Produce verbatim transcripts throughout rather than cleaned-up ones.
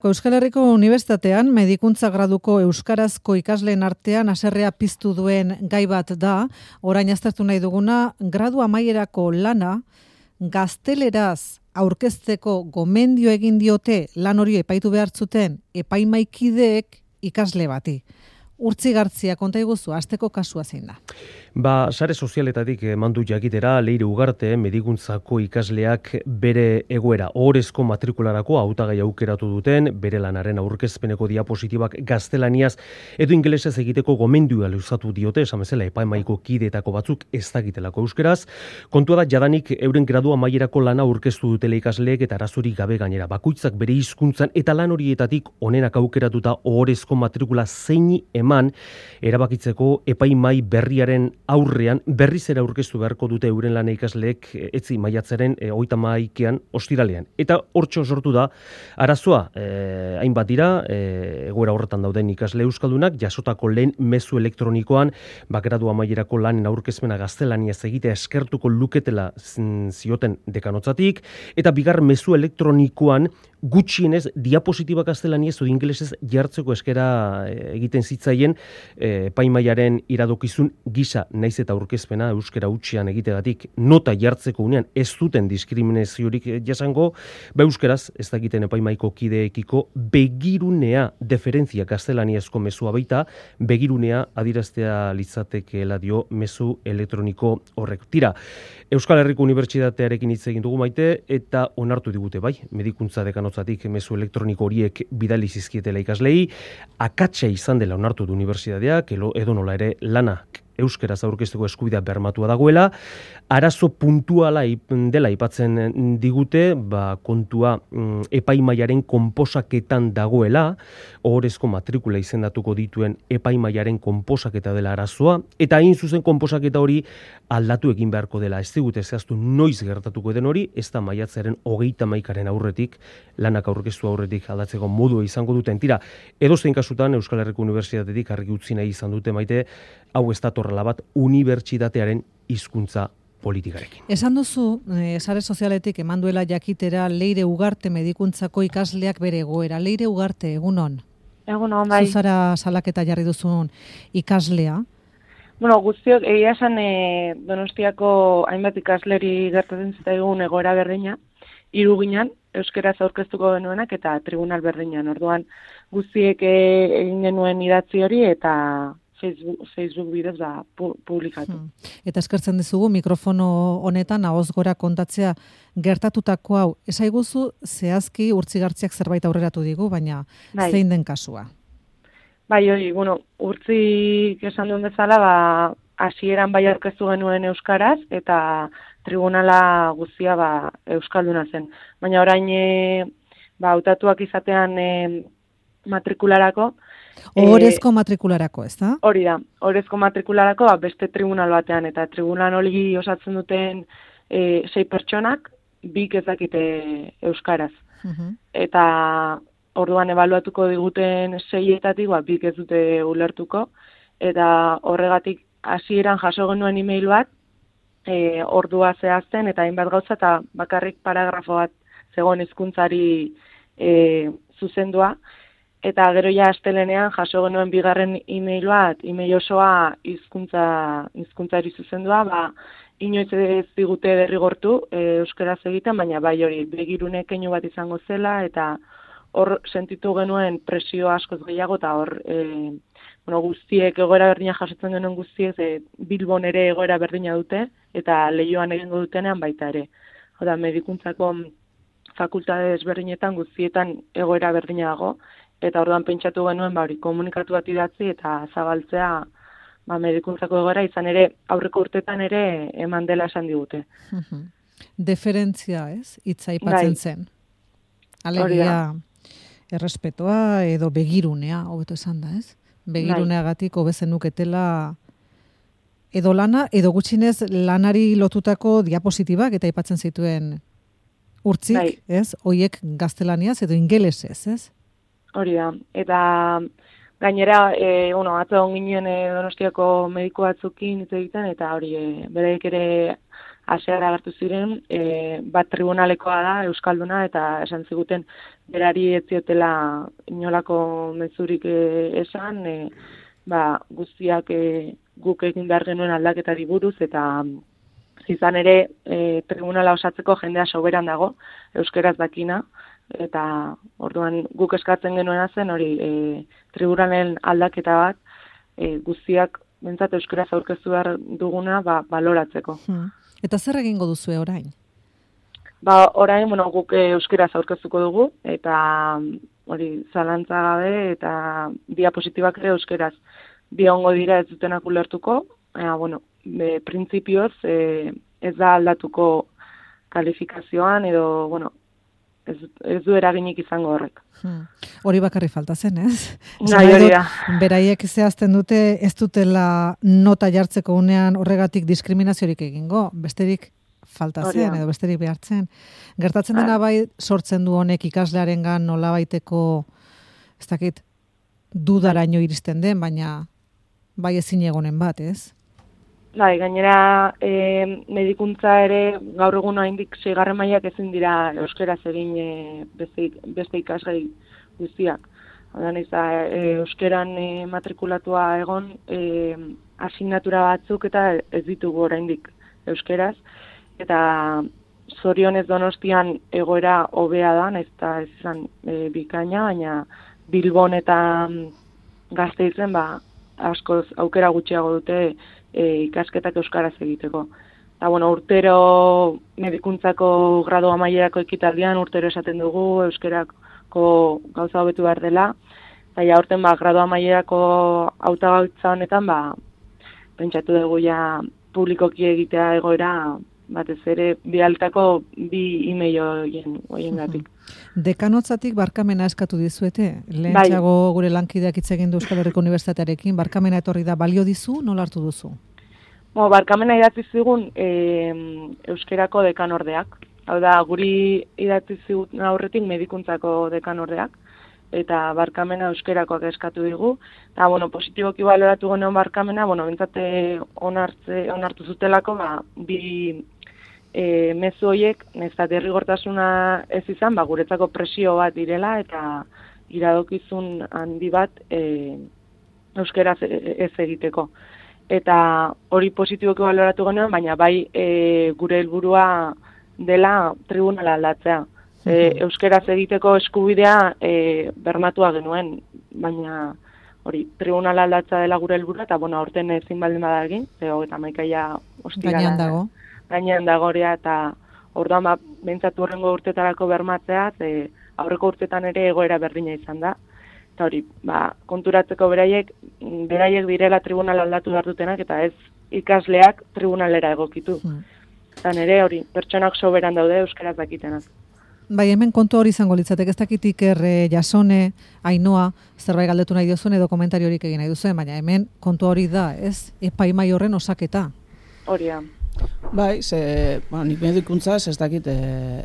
Euskal Herriko Unibertsitatean medikuntza graduko euskarazko ikasleen artean haserrea piztu duen gai bat da. Orain aztertu nahi duguna, gradu amaierako lana gazteleraz aurkezteko gomendio egin diote lan hori epaitu behar zuten epaimaikideek ikasle bati. Urtzi Gartzia, konta iguzu, asteko kasua zein da? Ba, sare sozialetatik mandu jakitera, Leire Ugarte medikuntzako ikasleak bere egoera ohorezko matrikularako hautagai aukeratu duten, bere lanaren aurkezpeneko diapositibak gaztelaniaz edo ingelesez egiteko gomendioa luzatu diote, esan bezala epaimaiko kideetako batzuk ez dakitelako euskeraz. Kontua da jadanik euren gradu amaierako lana aurkeztu dutela ikasleek eta arazorik gabe gainera. Bakoitzak bere hizkuntzan eta lan horietatik onenak aukeratuta ohorezko matrikula zeini eman erabakitzeko epaimai berriaren aurrean berriz ere aurkeztu beharko dute euren lana ikasleek etzi maiatzaren e, hogeita hamaikaean ostiralean. Eta hortxo sortu da arazoa, e, hainbat dira, e, egoera horretan dauden ikasle euskaldunak, jasotako lehen mezu elektronikoan, bagradu amaierako lanen aurkezpena gaztelaniaz egitea eskertuko luketela zioten dekanotzatik, eta bigar mezu elektronikoan gutxienez diapositiba gaztelaniaz edo ingelesez jartzeko eskera egiten zitzaien epaimaiaren iradokizun gisa naiz eta aurkezpena euskera hutsean egitegatik nota jartzeko unean ez duten diskriminaziorik jasango, ba euskeraz ez dakiten epaimaiko kideekiko begirunea deferentzia gaztelaniazko mezua baita, begirunea adiraztea litzatekeela dio mezu elektroniko horrek. Tira, Euskal Herriko Unibertsitatearekin hitz egin dugu Maite eta onartu digute bai, medikuntza dekanotzatik mezu elektroniko horiek bidali zizkietela ikaslei, akatsa izan dela onartu du unibertsitateak, edo nola ere lana euskeraz aurkezteko eskubidea bermatua dagoela, arazo puntuala dela aipatzen digute, ba, kontua mm, epaimaiaren konposaketan dagoela, ohorezko matrikula izendatuko dituen epaimaiaren konposaketa dela arazoa, eta hain zuzen konposaketa hori aldatu egin beharko dela. Ez digute zehaztu noiz gertatuko den hori, ez da maiatzaren hogeita hamaikaren aurretik, lanak aurkeztu aurretik aldatzeko modua izango duten. Tira, edozein kasutan Euskal Herriko Unibertsitatetik argi utzi nahi izan dute Maite, hau ez datorrela bat unibertsitatearen hizkuntza politikarekin. Esan duzu, e, sare sozialetik eman duela jakitera Leire Ugarte medikuntzako ikasleak bere egoera. Leire Ugarte, egunon? Egunon, bai. Zuzara salaketa jarri duzun ikaslea? Bueno, guztiok, egia esan e, Donostiako hainbat ikasleri gertatzen zitzaigun egoera berdina, hiru ginen, euskeraz aurkeztuko genuenak eta tribunal berdinan. Orduan guztiek egin genuen idatzi hori eta Facebook, Facebook bidez da publikatu. Hmm. Eta eskertzen dizugu mikrofono honetan ahoz gora kontatzea gertatutako hau. Esaiguzu zehazki Urtzi Gartziak zerbait aurreratu digu, baina bai. Zein den kasua? Bai, hori, bueno, Urtzi esan duen bezala, ba, hasieran bai aurkeztu genuen euskaraz eta tribunala guztia ba, euskalduna zen. Baina orain e, ba, hautatuak izatean e, matrikularako, Ohorezko matrikularako, ez da? Hori da, ohorezko matrikularako ba, beste tribunal batean, eta tribunal hori osatzen duten e, sei pertsonak, bik ez dakite euskaraz. Uh-huh. Eta orduan ebaluatuko diguten seietatik, ba, bik ez dute ulertuko, eta horregatik hasieran jaso genuen email bat, e, ordua zehazten, eta hainbat gauza, eta bakarrik paragrafo bat zegoen hizkuntzari e, zuzendua, eta gero ja astelenean jaso genuen bigarren email bat, email osoa hizkuntza hizkuntzari zuzendua, ba inoiz ez digute derrigortu e, euskaraz egiten, baina bai hori begirune keinu bat izango zela eta hor sentitu genuen presio askoz gehiago eta hor e, bueno, guztiek egoera berdina jasotzen genuen guztiek e, Bilbon ere egoera berdina dute eta Leioan egingo dutenean baita ere. Oda medikuntzako fakultate desberdinetan guztietan egoera berdina dago. Eta orduan pentsatu genuen, ba, hori, komunikatu bat idatzi eta zabaltzea ba, medikuntzako egoera, izan ere, aurreko urtetan ere eman dela esan digute. Deferentzia, ez? Hitza aipatzen zen. Alegia, errespetoa edo begirunea, hobeto esan da, ez? Begiruneagatik hobezen nuketela edo lana, edo gutxinez lanari lotutako diapositibak eta aipatzen zituen Urtzik, bai. Ez? Hoiek gaztelaniaz edo ingelesez, ez? Hori da, eta gainera, e, bueno, atzo ginen e, Donostiako mediku batzukin hitz egiten, eta hori, e, bereik ere aseara agertu ziren, e, bat tribunalekoa da, Euskalduna, eta esan ziguten berari ez ziotela inolako mezurik e, esan, e, ba, guztiak e, guk egin behar genuen aldaketari buruz, eta izan ere e, tribunala osatzeko jendea soberan dago, euskeraz dakina, eta orduan guk eskatzen genuena zen hori e, tribunalen aldaketa bat e, guztiak bentsat euskeraz aurkeztu behar duguna ba, baloratzeko. Hmm. Eta zer egingo duzue orain? Ba, orain, bueno, guk euskeraz aurkeztuko dugu, eta hori zalantza gabe, eta diapositibak ere euskeraz bi ongo dira ez dutenak ulertuko, eta, bueno, e, printzipioz e, ez da aldatuko kalifikazioan, edo, bueno, ez, ez du eraginik izango horrek. Hmm. Hori bakarri falta zen, ez? Nahi hori da. Beraiek zehazten dute ez dutela nota jartzeko unean horregatik diskriminaziorik egingo, besterik falta zen, edo besterik behartzen. Gertatzen dena bai sortzen du honek ikaslearengan nolabaiteko, ez dakit, dudaraino iristen den, baina bai ezin egonen bat, ez? Bai, gainera e, medikuntza ere gaur egun oraindik seigarren mailak ezin dira euskeraz egin e, beste, beste ikasgai guztiak. Orduan ez da e, euskeran e, matrikulatua egon e, asignatura batzuk eta ez ditugu oraindik euskeraz, eta zorionez Donostian egoera hobea da, ez da ez izan e, bikaina, baina Bilbon eta Gasteizen ba askoz aukera gutxiago dute e, ikasketak euskaraz egiteko. Eta, bueno, urtero medikuntzako gradu amaierako ekitaldian urtero esaten dugu euskerako gauza hobetu behar dela. Eta ja urten ba, gradu amaierako hautagaitza honetan ba, pentsatu dugu ja publikoki egitea egoera batez ere bialtako bi email hoien hoiengatik. Dekanotzatik barkamena eskatu dizuete. Lehentxeago bai. Gure lankideak hitz egin du Euskal Herriko Unibertsitatearekin, barkamena etorri da, balio dizu, nola hartu duzu? Bo, barkamena idatzi zigun e, euskerako dekanordeak. Hau da, guri idatzi zigun aurretik medikuntzako dekanordeak, eta barkamena euskerakoak eskatu digu. Eta, bueno, positiboki baloratu genuen barkamena, bueno, bentsate onartze, onartu zutelako, ba, bi e, mezu horiek, nezta derrigortasuna ez izan, ba, guretzako presio bat direla, eta iradokizun handi bat e, euskera ez egiteko. Eta hori positiboki baloratu genuen, baina bai e, gure helburua dela tribunala aldatzea. E, euskeraz egiteko eskubidea e, bermatua genuen, baina hori tribunala aldatza dela gure helburua, eta bueno, aurten ezin baldin bada egin, eta maikaia ostirala. Gainean dago. Gainean dagorea, eta orduan ba, behintzatu horrengo urtetarako bermatzea, e, aurreko urtetan ere egoera berdina izan da. Eta hori, ba, konturatzeko beraiek, beraiek direla tribunala aldatu behar dutenak, eta ez ikasleak tribunalera egokitu. Hmm. Eta nire hori, pertsonak soberan daude euskaraz dakitenak. Bai, hemen kontu hori izango litzatek, ez dakit Iker, Jasone, Ainoa, zerbait galdetu nahi duzuen edo komentario horik egin nahi duzuen, baina hemen kontu hori da, ez? Epaimai horren osaketa. Hori da. Bai, ze, bueno, nik medikuntzaz ez dakit e,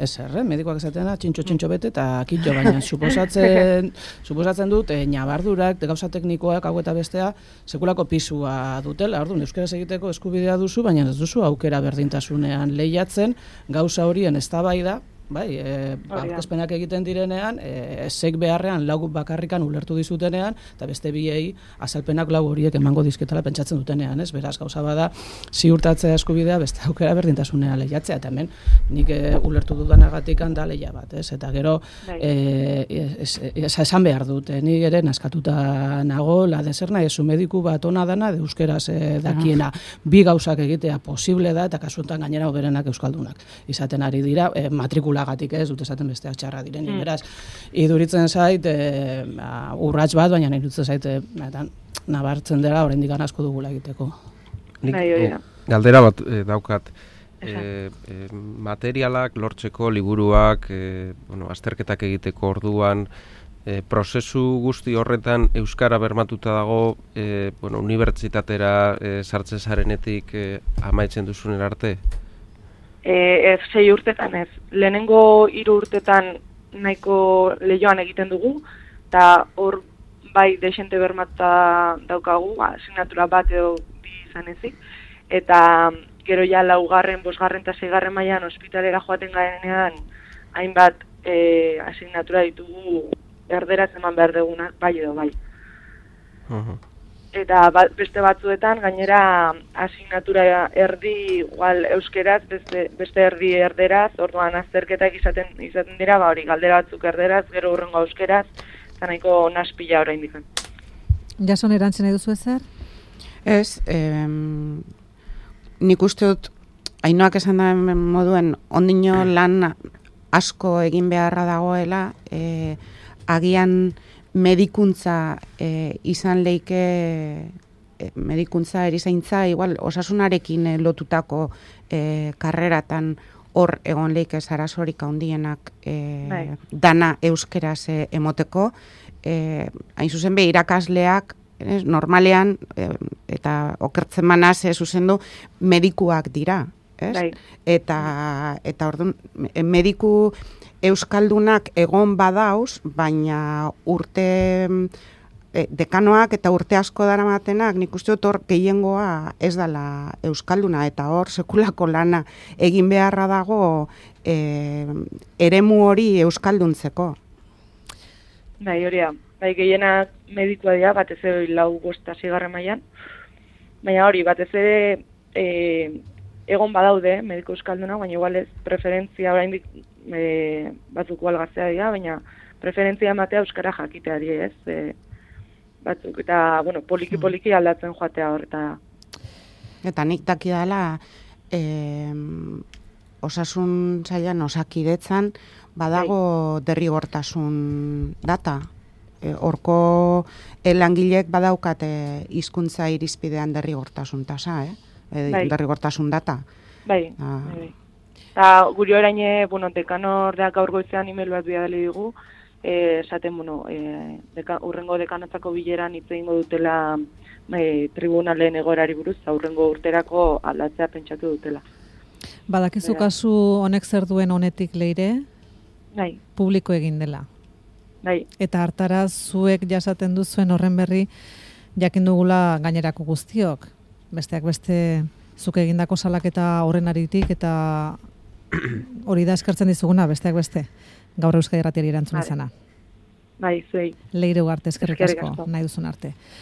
ezer, eh? Medikoak esatena, txintxo-txintxo bete eta kitxo, baina suposatzen, suposatzen dut, e, nabardurak, gauza teknikoak, hau eta bestea, sekulako pisua dutela, orduan, euskaraz egiteko eskubidea duzu, baina ez duzu aukera berdintasunean lehiatzen, gauza horien eztabaida, bai, e, aurkezpenak egiten direnean, e, zek beharrean lau bakarrikan ulertu dizutenean, eta beste biei azalpenak lau horiek emango dizketala pentsatzen dutenean, ez? Beraz, gauza bada, ziurtatzea eskubidea, beste aukera berdintasunean lehiatzea, eta hemen nik e, ulertu dudanagatik da lehia bat, ez? Eta gero, e, es, es, esan behar dut, e, nik ere naskatuta nago, la deserna, ezu mediku bat ona dana, de euskeraz e, dakiena, bi gauzak egitea posible da, eta kasuetan gainera hoberenak euskaldunak. Izaten ari dira, e, matrikula lagatik ez, dut esaten besteak txarra diren, mm. beraz, iduritzen zait, e, urrats bat, baina iduritzen zait, e, nabartzen dela, oraindik asko dugula egiteko. Nik, galdera bat e, daukat, e, e, materialak lortzeko, liburuak, e, bueno, azterketak egiteko orduan, e, prozesu guzti horretan euskara bermatuta dago, e, bueno, unibertsitatera e, sartzen zarenetik e, amaitzen duzunen arte? E, ez sei urtetan ez. Lehenengo hiru urtetan nahiko lehioan egiten dugu, eta hor bai desente bermatuta daukagu, asignatura bat edo bi izan ezik, eta gero ja laugarren, bosgarren eta seigarren mailan ospitalera joaten garenean, hainbat e, asignatura ditugu erderaz eman behar dugunak, bai edo bai. Uh-huh. Eta ba, beste batzuetan, gainera asignatura erdi igual euskeraz, beste, beste erdi erderaz, orduan azterketak izaten, izaten dira, ba hori galdera batzuk erderaz, gero hurrengo euskeraz, eta nahiko naspila oraindik. Jason, erantzen nahi duzu ezer? Ez, em, nik uste dut, Ainoak esan da moduen, ondino lan asko egin beharra dagoela, e, agian medikuntza e, izan leike, e, medikuntza erizaintza, igual osasunarekin e, lotutako e, karreratan hor egon leike zarazorik handienak e, dana euskeraz e, emoteko, e, hain zuzen be irakasleak, ez, normalean, e, eta okertzen manaz, ez zuzendu, medikuak dira. Ez? Eta, eta orduan, mediku euskaldunak egon badauz, baina urte e, dekanoak eta urte asko daramatenak, nik uste dut hor gehiengoa ez dela euskalduna, eta hor sekulako lana egin beharra dago e, eremu hori euskalduntzeko. Bai, hori da. Bai, gehienak medikua dira, batez ere lau bosta zigarren mailan, baina hori, batez ere e, egon badaude mediko euskalduna, baina igual ez preferentzia oraindik e, batzuk algaztea dira, baina preferentzia ematea euskara jakiteari, ez? E, batzuk eta bueno, poliki poliki aldatzen joatea hor eta eta nik dakidala eh, osasun sailan osakidetzan badago derrigortasun data. Horko e, langilek badaukate hizkuntza irizpidean derrigortasun tasa, eh? E, bai. Derrigortasun data. Bai, ah. bai. Ta guri orain, bueno, dekanordea gaur goizean email bat bidali digu, eh, esaten, bueno, eh, deka, urrengo dekanotzako bileran hitz egingo dutela eh, tribunalen egoerari buruz, urrengo urterako aldatzea pentsatu dutela. Badakizu Bera. Kasu honek zer duen honetik leire? Bai. Publiko egin dela. Bai. Eta hartara zuek jasaten duzuen horren berri jakin dugula gainerako guztiok. Besteak beste zuk egindako salaketa horren aritik eta hori da eskertzen dizuguna besteak beste. Gaur Euskadi Irratiari erantzun izana. Bai, zuei. Leire Ugarte, eskerrik asko, nahi duzun arte.